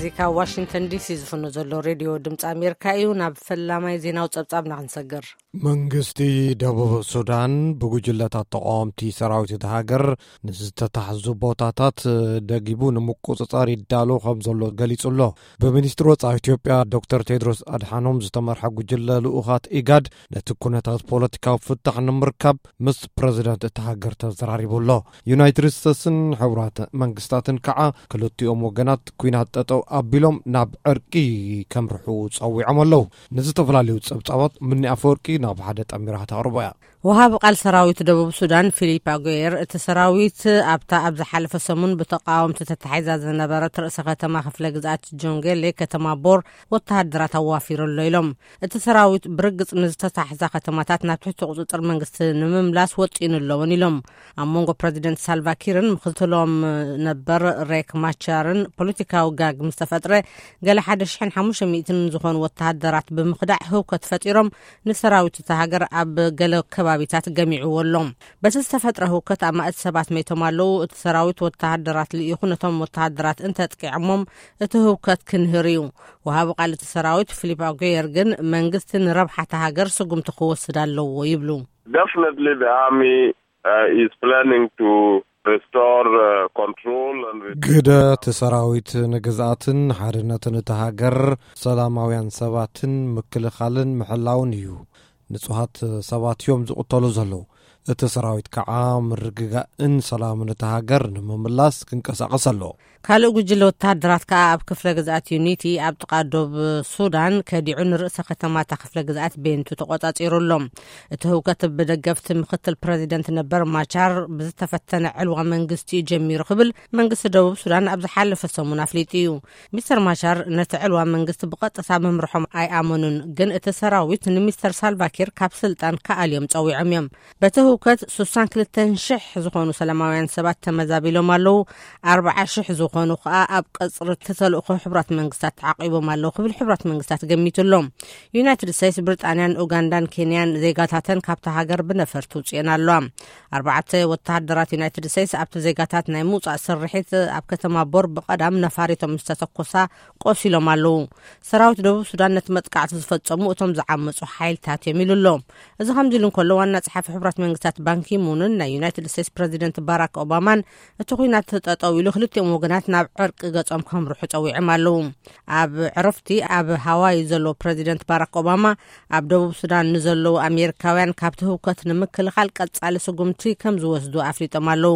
እዚ ካብ ዋሽንግተን ዲሲ ዝፍኖ ዘሎ ሬድዮ ድምፂ ኣሜሪካ እዩ። ናብ ፈላማይ ዜናዊ ጸብጻብና ክንሰግር። መንግስቲ ደቡብ ሱዳን ብጉጅለታት ተቃወምቲ ሰራዊት እቲ ሃገር ንዝተታሕዙ ቦታታት ደጊቡ ንምቁጽጻር ይዳሎ ከም ዘሎ ገሊጹ ኣሎ። ብሚኒስትሪ ወጻኢ ኢትዮጵያ ዶክተር ቴድሮስ ኣድሓኖም ዝተመርሐ ጉጅለ ልኡኻት ኢጋድ ነቲ ኩነታት ፖለቲካዊ ፍታሕ ንምርካብ ምስ ፕረዚደንት እቲ ሃገር ተዘራሪቡ ኣሎ። ዩናይትድ ስቴትስን ሕቡራት መንግስታትን ከዓ ክልቲኦም ወገናት ኩናት ጠጠው ኣቢሎም ናብ ዕርቂ ከምርሑ ጸዊዖም ኣለዉ። ንዝተፈላለዩ ጸብጻባት ምኒ ኣፈወርቂ ናብ ሓደ ጠሚራ ከተቕርቦ እያ። ወሃቢ ቃል ሰራዊት ደቡብ ሱዳን ፊሊፕ ኣጎየር፣ እቲ ሰራዊት ኣብታ ኣብ ዝሓለፈ ሰሙን ብተቃወምቲ ተታሒዛ ዝነበረት ርእሰ ከተማ ክፍለ ግዝኣት ጆንጌሌ፣ ከተማ ቦር፣ ወተሃደራት ኣዋፊሩ ኣሎ ኢሎም። እቲ ሰራዊት ብርግጽ ንዝተታሕዛ ከተማታት ናብ ትሕቲ ቁጽጽር መንግስቲ ንምምላስ ወጢኑ ኣለውን ኢሎም። ኣብ መንጎ ፕረዚደንት ሳልቫኪርን ምክትሎም ነበር ሬክ ማቻርን ፖለቲካዊ ጋግ ምስ ተፈጥረ፣ ገለ ሓደ ሽሕን ሓሙሽተ ሚእትን ዝኾኑ ወተሃደራት ብምኽዳዕ ህውከት ፈጢሮም፣ ንሰራዊት እታ ሃገር ኣብ ገለ ከባቢታት ገሚዕዎ ኣሎ። በቲ ዝተፈጥረ ህውከት ኣማእት ሰባት መይቶም ኣለዉ። እቲ ሰራዊት ወተሃደራት ልኢኹ ነቶም ወተሃደራት እንተጥቂዖሞም እቲ ህውከት ክንህር እዩ። ወሃቢ ቃል እቲ ሰራዊት ፊሊፕ ኣጉየር ግን መንግስቲ ንረብሓ እታ ሃገር ስጉምቲ ክወስድ ኣለዎ ይብሉ። Definitely, the army uh, is planning to restore uh, control and re- ግደ እቲ ሰራዊት ንግዝኣትን ሓርነትን እቲ ሃገር፣ ሰላማውያን ሰባትን ምክልኻልን ምሕላውን እዩ። ንጹሃት ሰባት እዮም ዝቕተሉ ዘለዉ። እቲ ሰራዊት ከዓ ምርግጋእን ሰላምን እቲ ሃገር ንምምላስ ክንቀሳቐስ ኣለዎ። ካልእ ጉጅለ ወተሃደራት ከኣ ኣብ ክፍለ ግዝኣት ዩኒቲ ኣብ ጥቓ ዶብ ሱዳን ከዲዑ ንርእሰ ከተማ እታ ክፍለ ግዝኣት ቤንቱ ተቖጻጺሩ ኣሎ። እቲ ህውከት ብደገፍቲ ምክትል ፕረዚደንት ነበር ማቻር ብዝተፈተነ ዕልዋ መንግስቲ እዩ ጀሚሩ ክብል መንግስቲ ደቡብ ሱዳን ኣብ ዝሓለፈ ሰሙን ኣፍሊጡ እዩ። ሚስተር ማቻር ነቲ ዕልዋ መንግስቲ ብቐጥታ ምምርሖም ኣይኣመኑን፣ ግን እቲ ሰራዊት ንሚስተር ሳልቫኪር ካብ ስልጣን ክኣልዮም ጸዊዖም እዮም። በቲ ህውከት ስሳን ክልተን ሽሕ ዝኾኑ ሰላማውያን ሰባት ተመዛቢሎም ኣለዉ። ኣርብዓ ሽሕ ዝኾኑ ከኣ ኣብ ቀጽሪ እቲ ተልእኾ ሕቡራት መንግስታት ተዓቂቦም ኣለዉ ክብል ሕቡራት መንግስታት ገሚቱ ኣሎ። ዩናይትድ ስቴትስ፣ ብሪጣንያን ኡጋንዳን ኬንያን ዜጋታተን ካብታ ሃገር ብነፈርቲ ውጽኤን ኣለዋ። ኣርባዕተ ወተሃደራት ዩናይትድ ስቴትስ ኣብቲ ዜጋታት ናይ ምውጻእ ስርሒት ኣብ ከተማ ቦር ብቐዳም ነፋሪቶም ምስ ተተኮሳ ቆሲሎም ኣለዉ። ሰራዊት ደቡብ ሱዳን ነቲ መጥቃዕቲ ዝፈጸሙ እቶም ዝዓመጹ ሓይልታት እዮም ኢሉ ኣሎ። እዚ ከምዚ ኢሉ እንከሎ፣ ዋና ጸሓፊ ሕቡራት መንግስታት ባንኪሙንን ናይ ዩናይትድ ስቴትስ ፕረዚደንት ባራክ ኦባማን እቲ ኲናት ጠጠው ኢሉ ክልቲኦም ወገናት ናብ ዕርቂ ገጾም ከምርሑ ጸዊዖም ኣለዉ። ኣብ ዕረፍቲ ኣብ ሃዋይ ዘሎ ፕረዚደንት ባራክ ኦባማ፣ ኣብ ደቡብ ሱዳን ንዘለዉ ኣሜሪካውያን ካብቲ ህውከት ንምክልኻል ቀጻሊ ስጉምቲ ከም ዝወስዱ ኣፍሊጦም ኣለዉ።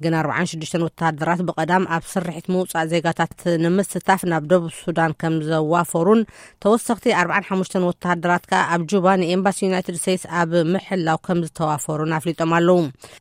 ግን ኣርባዓን ሽዱሽተን ወተሃደራት ብቐዳም ኣብ ስርሒት ምውጻእ ዜጋታት ንምስታፍ ናብ ደቡብ ሱዳን ከም ዘዋፈሩን፣ ተወሰኽቲ ኣርባዓን ሓሙሽተን ወተሃደራት ከኣ ኣብ ጁባ ንኤምባሲ ዩናይትድ ስቴትስ ኣብ ምሕላው ከም ዝተዋፈሩን ኣፍሊጦም ኣለዉ።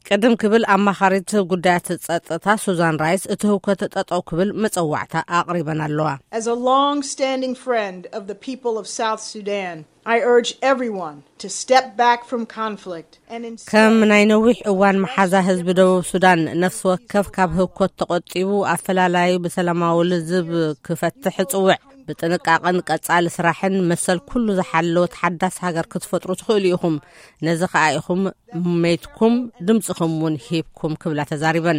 ቅድም ክብል ኣማኻሪት ጉዳያት ጸጥታ ሱዛን ራይስ እቲ ህውከት ጠጠው ክብል መጸዋዕታ ኣቕሪበን ኣለዋ። As a long-standing friend of the people of South Sudan, I urge everyone to step back from conflict and instead ከም ናይ ነዊሕ እዋን መሓዛ ህዝቢ ደቡብ ሱዳን፣ ነፍሲ ወከፍ ካብ ህውከት ተቖጢቡ ኣፈላላዩ ብሰላማዊ ልዝብ ክፈትሕ እጽውዕ። ብጥንቃቐን ቀጻሊ ስራሕን መሰል ኩሉ ዝሓለወት ሓዳስ ሃገር ክትፈጥሩ ትኽእሉ ኢኹም። ነዚ ከኣ ኢኹም መይትኩም ድምጽኹም እውን ሂብኩም ክብላ ተዛሪበን።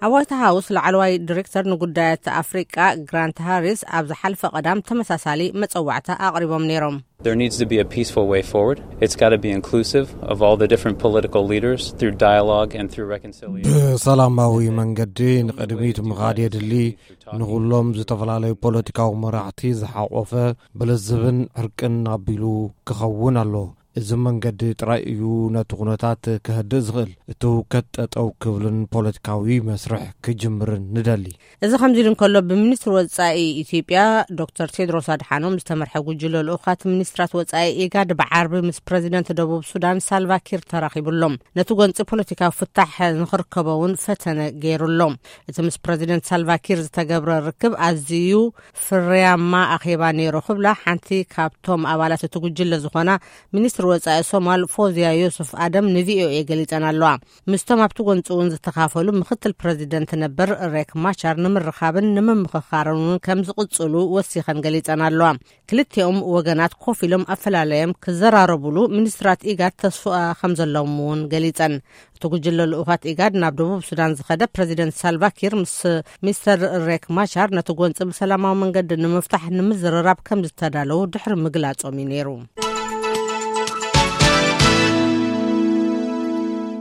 ኣብ ዋይት ሃውስ ላዕለዋይ ዲሬክተር ንጉዳያት ኣፍሪቃ ግራንት ሃሪስ ኣብ ዝሓልፈ ቀዳም ተመሳሳሊ መጸዋዕታ ኣቕሪቦም ነይሮም። There needs to be a peaceful way forward. It's got to be inclusive of all the different political leaders through dialogue and through reconciliation. ብሰላማዊ መንገዲ ንቕድሚት ምኻድ የድሊ። ንኹሎም ዝተፈላለዩ ፖለቲካዊ መራሕቲ ዝሓቆፈ፣ ብልዝብን ዕርቅን ኣቢሉ ክኸውን ኣሎ። እዚ መንገዲ ጥራይ እዩ ነቲ ኩነታት ከህድእ ዝኽእል፣ እቲ ህውከት ጠጠው ክብልን ፖለቲካዊ መስርሕ ክጅምርን ንደሊ። እዚ ከምዚ ኢሉ እንከሎ፣ ብሚኒስትሪ ወጻኢ ኢትዮጵያ ዶክተር ቴድሮስ ኣድሓኖም ዝተመርሐ ጉጅለ ልኡኻት ሚኒስትራት ወጻኢ ኢጋድ ብዓርቢ ምስ ፕረዚደንት ደቡብ ሱዳን ሳልቫኪር ተራኺቡ ኣሎ። ነቲ ጎንጺ ፖለቲካዊ ፍታሕ ንኽርከቦ እውን ፈተነ ገይሩ ኣሎ። እቲ ምስ ፕረዚደንት ሳልቫኪር ዝተገብረ ርክብ ኣዝዩ ፍርያማ ኣኼባ ነይሩ ክብላ ሓንቲ ካብቶም ኣባላት እቲ ጉጅለ ዝኾና ሚኒስትሪ ወጻኢ ሶማል ፎዚያ ዮሱፍ ኣደም ንቪኦኤ ገሊጸን ኣለዋ። ምስቶም ኣብቲ ጎንፂ እውን ዝተኻፈሉ ምክትል ፕረዚደንት ነበር ሬክ ማቻር ንምርኻብን ንምምኽኻርን እውን ከም ዝቕጽሉ ወሲኸን ገሊጸን ኣለዋ። ክልቲኦም ወገናት ኮፍ ኢሎም ኣፈላለዮም ክዘራረቡሉ ሚኒስትራት ኢጋድ ተስፋ ከም ዘለዎም እውን ገሊጸን። እቲ ጉጅለ ልኡኻት ኢጋድ ናብ ደቡብ ሱዳን ዝኸደ ፕረዚደንት ሳልቫኪር ምስ ሚስተር ሬክ ማቻር ነቲ ጎንፂ ብሰላማዊ መንገዲ ንምፍታሕ ንምዝርራብ ከም ዝተዳለዉ ድሕሪ ምግላጾም እዩ ነይሩ።